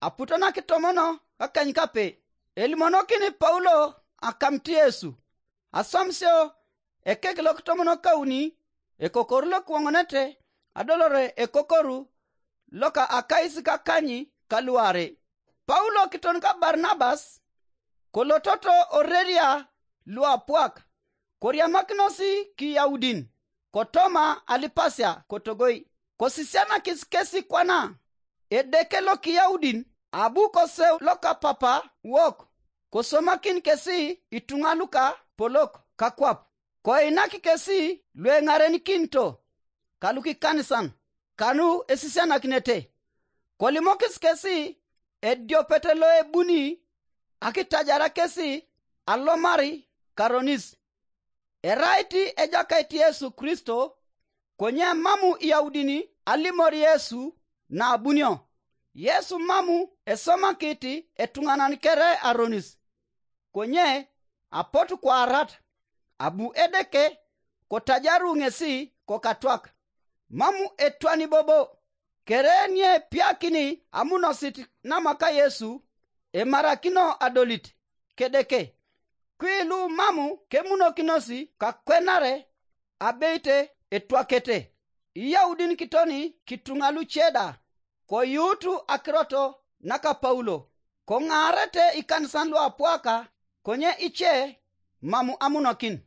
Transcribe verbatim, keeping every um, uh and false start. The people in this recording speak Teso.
aputo nakitomono kakeny kape. Elimonokini Paulo akamit Yesu. Aswamisio ekek lokitomonokauni, ekokoru lokiwoŋonete adolore ekokoru loka akais kakany kaluarei. Paulo kiton ka Barnabas kolototo oreria luapwak, koriamakinos Kiyaudin kotoma alipasia kotogoi. Kosisianakis kesi kwana Edeke lokiyaudin, abu koseu lokapapa wok, kosomakin kesi ituŋa luka polok kakwap, koinak kesi lueŋarenikinito kalukikanisan kanu esisianakinete. Kolimokis kesi ediopet loebuni akitajara kesi alomar karonis. Erait Ejakait Yesu Kristo, konye mamu Iyaudin alimor Yesu naabunio. Yesu mamu esomakit etuŋanan kere aronis, konye apotu kwaarat, abu Edeke kotajaru ŋesi kokatwak. Mamu etwani bobo, kere niepiakini amunosit namaka Yesu emarakino adolit kedeke. Kwilu mamu kemunokinos kakwenare abeite etwakete. Iyaudin kitoni kituŋa luce da, koyuutu akirot naka Paulo, koŋaarete ikanisan luapwaka, konye ice mamu amunokin.